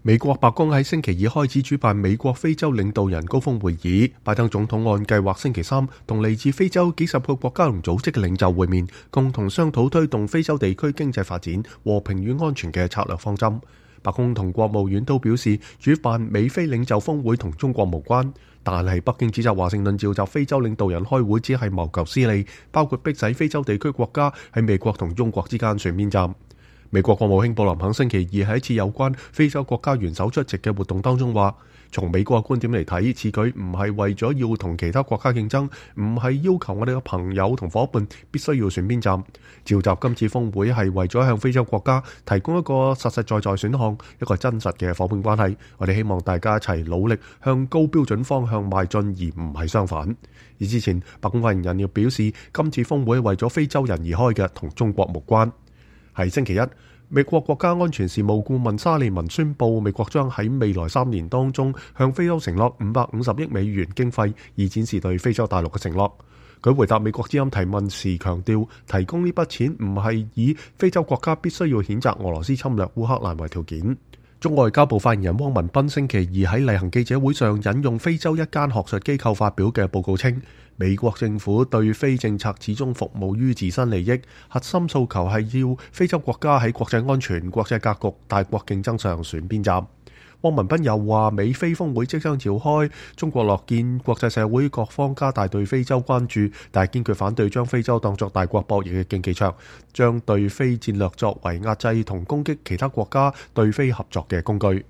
美國白宮喺星期二開始主辦美國非洲領導人高峰會議，拜登總統按計劃星期三同嚟自非洲幾十個國家同組織嘅領袖會面，共同商討推動非洲地區經濟發展、和平與安全嘅策略方針。白宮同國務院都表示，主辦美非領袖峰會同中國無關，但係北京指責華盛頓召集非洲領導人開會只係謀求私利，包括迫使非洲地區國家喺美國同中國之間選邊站。美國國務卿布林肯星期二喺一次有關非洲國家元首出席嘅活動當中話，從美國嘅觀點嚟睇，此舉唔係為咗要同其他國家競爭，唔係要求我哋嘅朋友同伙伴必須要選邊站。召集今次峰會係為咗向非洲國家提供一個實實在在選項，一個真實嘅伙伴關係。我哋希望大家一齊努力向高標準方向邁進，而唔係相反。而之前白宮發言人亦表示，今次峰會係為咗非洲人而開嘅，同中國無關。喺星期一，美國國家安全事務顧問沙利文宣布，美國將喺未來3年當中向非洲承諾550億美元經費，以展示對非洲大陸嘅承諾。佢回答美國之音提問時強調，提供呢筆錢唔係以非洲國家必須要譴責俄羅斯侵略烏克蘭為條件。中外交部發言人汪文斌星期二喺例行記者會上引用非洲一間學術機構發表嘅報告稱，美國政府對非政策始終服務於自身利益，核心訴求係要非洲國家喺國際安全、國際格局、大國競爭上選邊站。汪文斌又話，美非峰會即將召開，中國樂見國際社會各方加大對非洲關注，但係堅決反對將非洲當作大國博弈嘅競技場，將對非戰略作為壓制同攻擊其他國家對非合作嘅工具。